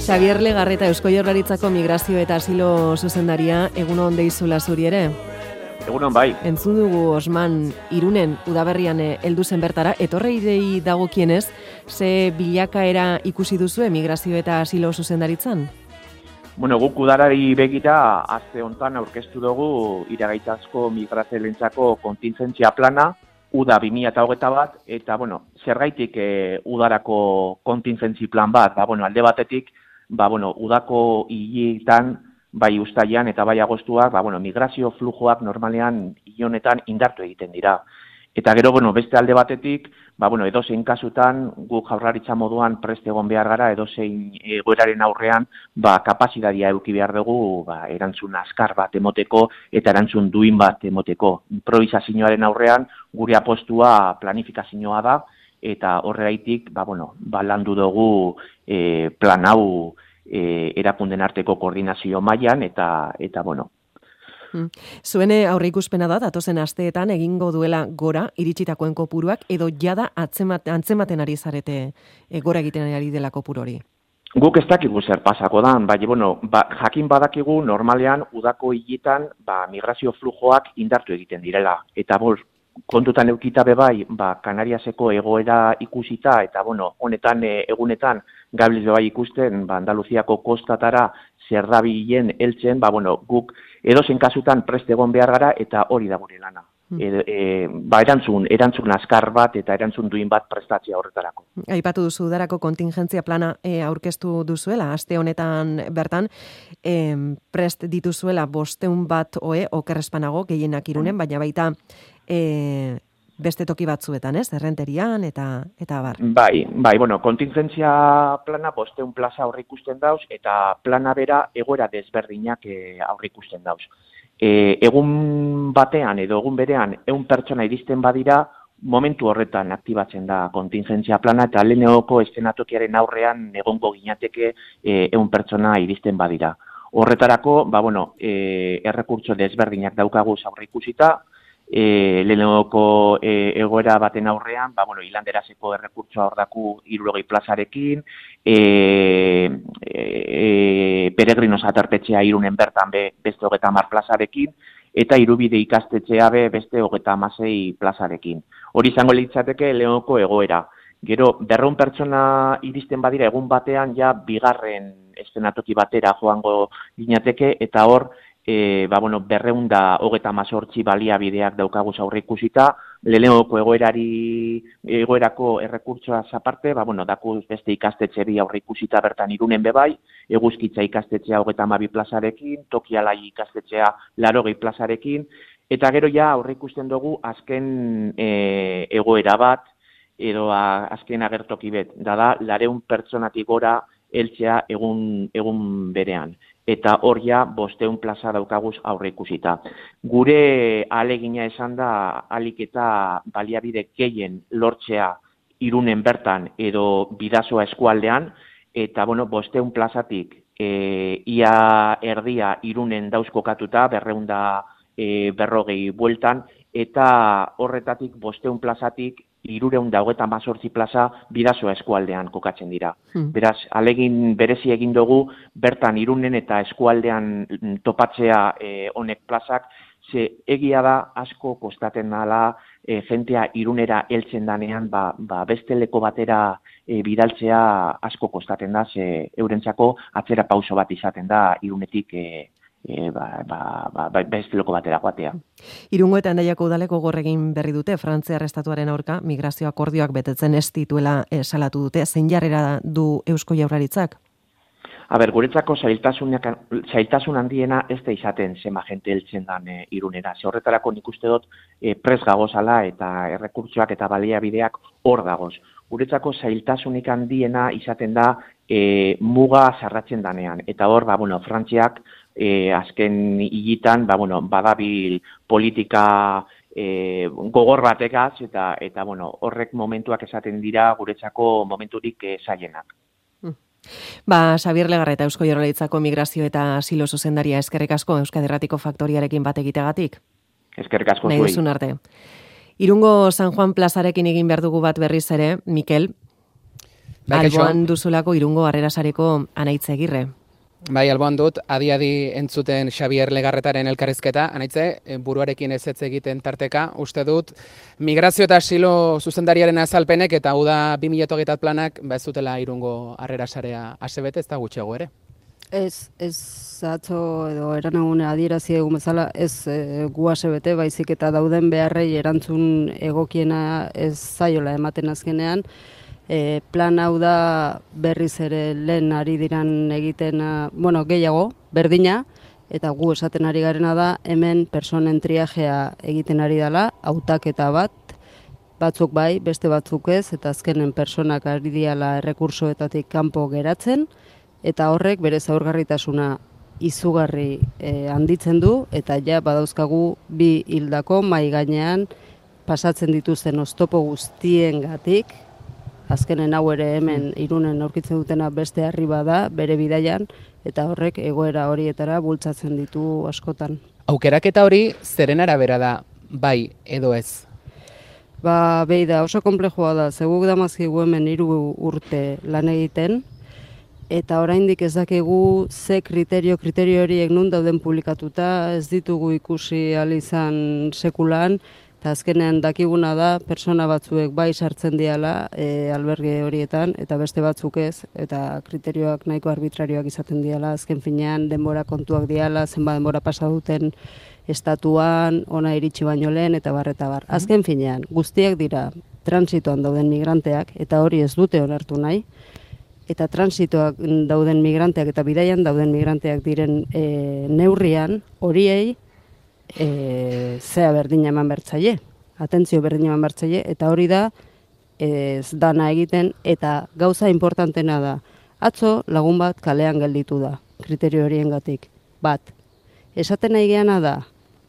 Xabier Legarreta, Eusko Jaurlaritzako migrazio eta asilo zuzendaria, egunon deizula zuri ere? Egunon bai. Entzun dugu Osman Irunen udaberrian heldu zen bertara, etorreidei dagokienez, ze bilakaera ikusi duzu migrazio eta asilo zuzendaritzan? Bueno, guk udarari begira, aste hontan aurkeztu dugu iragaitazko migrazioarentzako kontingentzia plana, uda 2021, eta bueno, zergaitik udarako kontingentzi plan bat, alde batetik, udako hileetan, bai uztailean eta bai agostuak, migrazio flujoak normalean hile honetan indartu egiten dira. Eta gero, beste alde batetik, edozein kasutan, guk Jaurlaritza moduan prest egon behar gara, edozein egoeraren aurrean, kapazitatea eduki behar dugu, erantzun azkar bat emoteko eta erantzun duin bat emoteko. Improvisazioaren aurrean, gure apostua planifikazioa da, eta horregaitik, landu dugu plan hau erakunden arteko koordinazio mailan eta Zuene aurreikuspena da, datozen asteetan egingo duela gora iritsitakoen kopuruak, edo jada antzematen ari zarete gora egiten ari dela kopuru hori? Guk ez dakigu zer pasako da, jakin badakigu normalean udako hiletan migrazio flujoak indartu egiten direla. Eta kontutan eukita bebai, Kanariaseko egoera ikusita, eta honetan egunetan gabiltz bebai ikusten, Andaluziako kostatara zer dabilen heltzen, guk edozein kasutan prest egon behar gara eta hori da gure lana. Erantzun azkar bat eta erantzun duin bat prestatzea horretarako. Aipatu duzu udarako kontingentzia plana aurkeztu duzuela, aste honetan bertan, prest dituzuela 500 bat okerrespanago gehienak Irunen, baina baita beste toki batzuetan, Errenterian eta bar. Bai, kontingentzia plana 500 plaza aurreikusten dauz eta plana bera egoera desberdinak aurreikusten dauz. Egun batean edo egun berean 100 pertsona iristen badira, momentu horretan aktibatzen da kontingentzia plana eta lehenengoko eszenatokiaren aurrean egongo ginateke 100 pertsona iristen badira. Horretarako, errekurtso desberdinak daukagu aurreikusita, lehenengoko egoera baten aurrean, hilanderazeko errekurtsoa hor daku 60 plazarekin, peregrinos aterpetxea Irunen bertan beste 30 plazarekin, eta Irubide ikastetxea beste 36 plazarekin. Hori izango litzateke lehenengoko egoera. Gero, 200 pertsona iristen badira egun batean, bigarren eszenatoki batera joango ginateke, eta hor, 238 baliabideak daukaguz aurreikusita, lehenengoko egoerako errekurtsoaz aparte, dakuz beste ikastetxe bi aurreikusita bertan Irunen bebai, Eguzkitza ikastetxea 32 plazarekin, Tokialai ikastetxea 80 plazarekin, eta gero aurreikusten dugu azken egoera bat, edo azken agertoki bet, da 200 pertsonatik gora heltzea egun berean. Eta hor 500 plaza daukaguz aurreikusita. Gure ahalegina esan da alik eta baliabide gehien lortzea Irunen bertan edo Bidasoa eskualdean, eta 500 plazatik ia erdia Irunen dauz kokatuta, 240 bueltan, eta horretatik 500 plazatik 318 plaza Bidasoa eskualdean kokatzen dira. Beraz, ahalegin berezi egin dugu, bertan Irunen eta eskualdean topatzea honek plazak, ze egia da asko kostaten dela jentea Irunera heltzen danean, beste leko batera bidaltzea asko kostaten da, ze eurentzako atzera pauso bat izaten da Irunetik beste loko batera joatea. Irungo eta Hendaiako udaleko gorregin berri dute, Frantziar estatuaren aurka migrazio akordioak betetzen ez dituela salatu dute. Zein jarrera du Eusko Jaurlaritzak? Guretzako zailtasun handiena ez da izaten zema jente heltzen dan Irunera. Ze horretarako nik uste dut prest gagozala eta errekurtsoak eta baliabideak hor dagoz. Guretzako zailtasunik handiena izaten da muga zarratzen danean. Eta hor, Frantziak azken hiletan, badabil politika gogor batekaz, eta horrek momentuak esaten dira guretzako momenturik zailenak. Xabier Legarreta, Eusko Jaurlaritzako migrazio eta asilo zuzendaria, eskerrik asko Euskadi Irratiko faktoriarekin bat egiteagatik. Eskerrik asko zuei. Nahi duzun arte. Irungo San Juan plazarekin egin behar dugu bat berriz ere, Mikel. Alboan duzulako Irungo Harrera Sareko Anaitz Egirre. Bai, alboan dut, adi entzuten Xabier Legarretaren elkarrizketa, Anaitze, buruarekin ez egiten tarteka, uste dut, migrazio eta asilo zuzendariaren azalpenek eta hau da 2021 planak, ez dutela Irungo Harrera Sarea asebete, ez da gutxiago ere? Ez atzo edo eranagune adierazi egun bezala, ez gu asebete, baizik eta dauden beharrei erantzun egokiena ez zaiola ematen azkenean. Plan hau da berriz ere lehen ari diran egiten, gehiago, berdina, eta gu esaten ari garena da hemen personen triajea egiten ari dela, hautaketa batzuk bai, beste batzuk ez, eta azkenen personak ari diala errekursoetatik kanpo geratzen, eta horrek bere zaurgarritasuna izugarri handitzen du, eta ja badauzkagu bi hildako mahai gainean pasatzen dituzten oztopo guztiengatik. Azkenen hau ere hemen Irunen aurkitzen dutena beste harri bada bere bidaian, eta horrek egoera horietara bultzatzen ditu askotan. Aukeraketa hori zeren arabera da, bai edo ez? Behi da, oso konplexua da, zeguk damazkigu hemen 3 urte lan egiten, eta oraindik ez dakigu ze kriterio horiek nun dauden publikatuta, ez ditugu ikusi ahal izan sekulan, eta azkenean dakiguna da, persona batzuek bai sartzen diala alberge horietan, eta beste batzuk ez, eta kriterioak nahiko arbitrarioak izaten diala, azken finean denbora kontuak diala, zenbat denbora pasa duten estatuan, ona iritsi baino lehen, eta bar. Azken finean, guztiak dira transitoan dauden migranteak, eta hori ez dute onartu nahi, eta transitoak dauden migranteak eta bidaian dauden migranteak diren neurrian, horiei, zea berdina eman bertzaile, atentzio berdina eman bertzaile, eta hori da ez dana egiten, eta gauza importantena da. Atzo lagun bat kalean gelditu da, kriterio horiengatik. Esaten nahi geana da,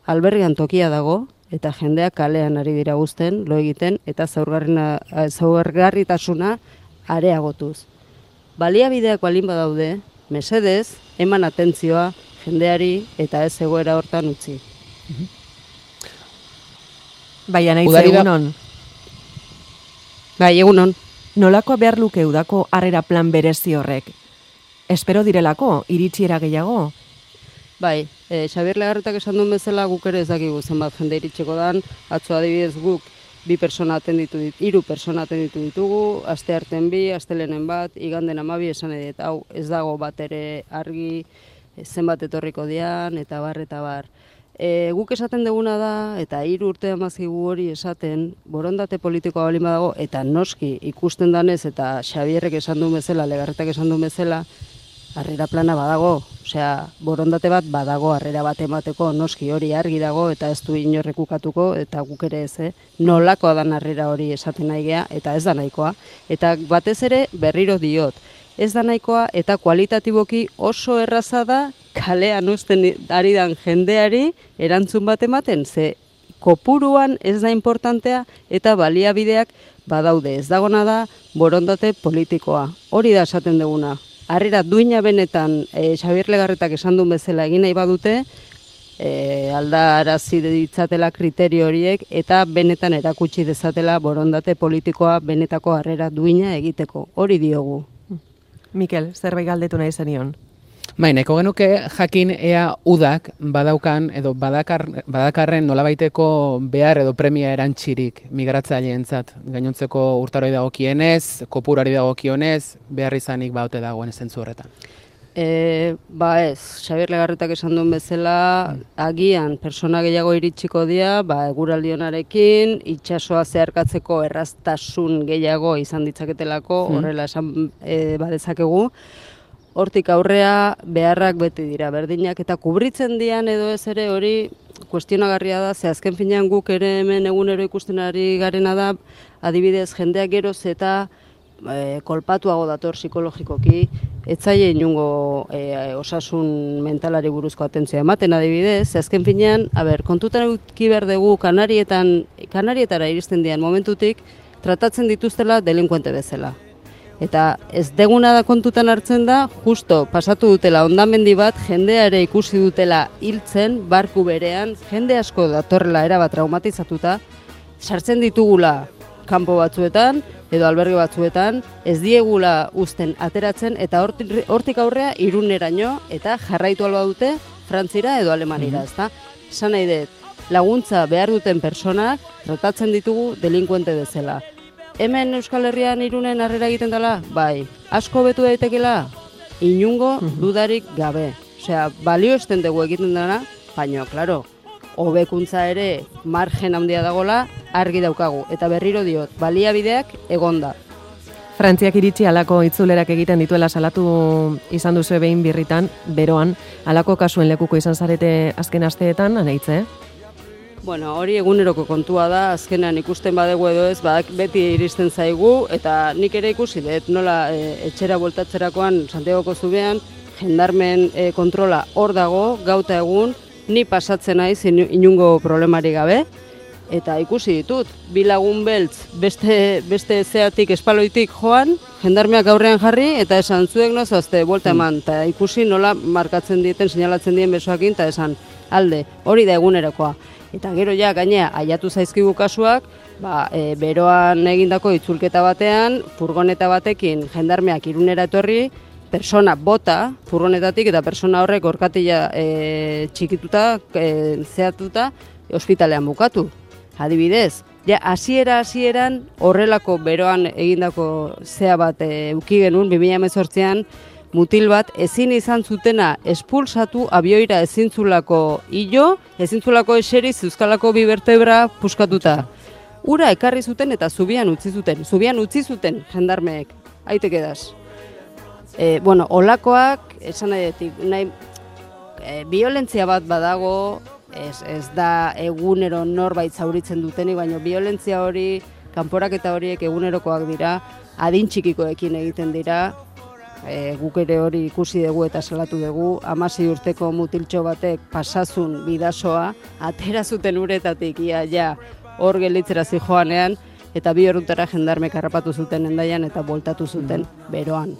albergean tokia dago, eta jendeak kalean ari dira guzten, lo egiten, eta zaurgarritasuna areagotuz. Baliabideak balin badaude, mesedez, eman atentzioa jendeari eta ez egoera hortan utzi. Bai, Anaitz, egunon. Bai, egunon. Nolakoa behar luke udako harrera plan berezi horrek? Espero direlako, iritsiera gehiago? Bai, Xabier Legarretak esan duen bezala guk ere ez dakigu zenbat jende iritsiko dan, atzo adibidez guk 3 persona atenditu ditugu, astearten 2, astelenen 1, iganden 12, esan edet, hau ez dago bat ere argi, zenbat etorriko dian, eta bar. Guk esaten duguna da, eta 3 urte amazkigu hori esaten, borondate politikoa balin badago, eta noski ikusten danez, eta Xabierrek esan duen bezala, Legarretak esan duen bezala, harrera plana badago, osea, borondate bat badago harrera bat emateko, noski hori argi dago, eta ez du inorrek ukatuko, eta guk ere ez, nolakoa dan harrera hori esaten nahi gea, eta ez da nahikoa. Eta batez ere berriro diot, ez da nahikoa, eta kualitatiboki oso erraza da, kalean uzten ari dan jendeari erantzun bat ematen, ze kopuruan ez da importantea, eta baliabideak badaude, ez dagona da borondate politikoa. Hori da esaten duguna. Harrera duina benetan, Xabier Legarretak esan duen bezala egin nahi badute, aldarazi ditzatela kriterio horiek, eta benetan erakutsi dezatela borondate politikoa benetako harrera duina egiteko. Hori diogu. Mikel, zerbait galdetu nahi zenion? Bai, nahiko genuke jakin ea udak badaukan edo badakarren nolabaiteko behar edo premia erantzirik migratzaileentzat. Gainontzeko urtaroi dagokienez, kopurari dagokionez, behar izanik baute dagoen zentzu horretan. Ez, Xabier Legarretak esan duen bezala, agian persona gehiago iritsiko dira, eguraldionarekin, itsasoa zeharkatzeko erraztasun gehiago izan ditzaketelako, horrela esan badezakegu. Hortik aurrea beharrak beti dira berdinak, eta kubritzen dian edo ez ere hori kuestionagarria da, ze azken finean guk ere hemen egunero ikusten ari garena da, adibidez jendeak geroz eta kolpatuago dator psikologikoki, etzaile inungo osasun mentalari buruzko atentzioa ematen adibidez, ze azken finean, kontutan eduki behar dugu Kanarietara iristen dian momentutik, tratatzen dituztela delinkuente bezala. Eta ez deguna da kontutan hartzen da, justo pasatu dutela hondamendi bat, jendeare ikusi dutela hiltzen, barku berean, jende asko datorrela erabat traumatizatuta, sartzen ditugula kanpo batzuetan, edo alberge batzuetan, ez diegula uzten ateratzen, eta hortik aurrea Iruneraino, eta jarraitu alba dute Frantzira edo Alemanira, ezta? Esan nahi dut, laguntza behar duten personak tratatzen ditugu delinkuente bezala. Hemen Euskal Herrian Irunen harrera egiten dela? Bai. Asko betu daitekela? Inungo dudarik gabe. Osea, balio esten dugu egiten dela, baina, klaro, hobekuntza ere margen handia dagola argi daukagu. Eta berriro diot, baliabideak egonda. Frantziak iritsi halako itzulerak egiten dituela salatu izan duzu behin birritan, beroan, halako kasuen lekuko izan zarete azken asteetan, Anaitze? Bueno, hori eguneroko kontua da, azkenean ikusten badegu edo ez, beti iristen zaigu, eta nik ere ikusi dut, nola etxera bueltatzerakoan Santiagoko zubean, jendarmen kontrola hor dago, gauta egun, ni pasatzen naiz inungo problemari gabe, eta ikusi ditut, bi lagun beltz beste zeatik espaloitik joan, jendarmeak aurrean jarri, eta esan zuek nozoazte, buelta eman, eta ikusi nola markatzen dieten, seinalatzen dien besoakin, eta esan alde, hori da egunerokoa. Eta gero ja, gainea, aiatu zaizkigu kasuak, beroan egindako itzulketa batean, furgoneta batekin jendarmeak Irunera etorri, persona bota furgonetatik eta persona horrek orkatila txikituta, zehatuta, ospitalean bukatu. Adibidez, ja, hasieran horrelako beroan egindako zea bat eduki genuen 2018an, mutil bat ezin izan zutena espulsatu abioira ezintzulako hilo, ezintzulako eseriz euskalako bi vertebra puskatuta. Ura ekarri zuten eta zubian utzi zuten jendarmeek, aitek edaz. Olakoak, esan nahi, violentzia bat badago, ez da egunero norbait zauritzen dutenik, baina violentzia hori, kanporaketa horiek egunerokoak dira, adin txikikoekin egiten dira, guk ere hori ikusi dugu eta salatu dugu, 16 urteko mutiltxo batek pasazun bidasoa, atera zuten uretatik ia hor gelditzera zijoanean, eta 2 orduntara jendarmek harrapatu zuten Hendaian eta voltatu zuten beroan.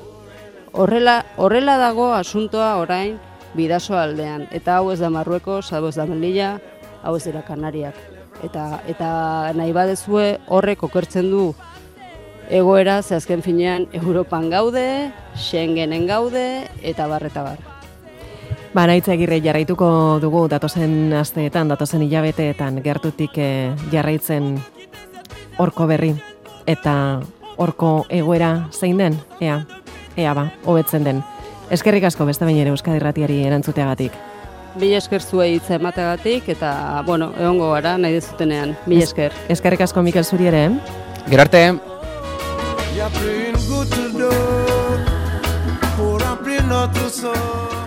Horrela dago asuntoa orain bidaso aldean, eta hau ez da Marruekos, hau ez da Melilla, hau ez dira Kanariak. Eta nahi badezue horrek okertzen du egoera, ze azken finean Europan gaude, Schengenen gaude, eta bar. Anaitze Agirre, jarraituko dugu datozen asteetan, datozen hilabeteetan gertutik jarraitzen horko berri, eta horko egoera zein den, ea hobetzen den. Eskerrik asko beste behin ere Euskadi Irratiari erantzuteagatik. Mila esker zuei hitza emateagatik, eta, egongo gara nahi dezutenean. Mila esker. Eskerrik asko Mikel zuri ere. Gero arte. Il y a plus une goutte d'eau pour remplir notre sol.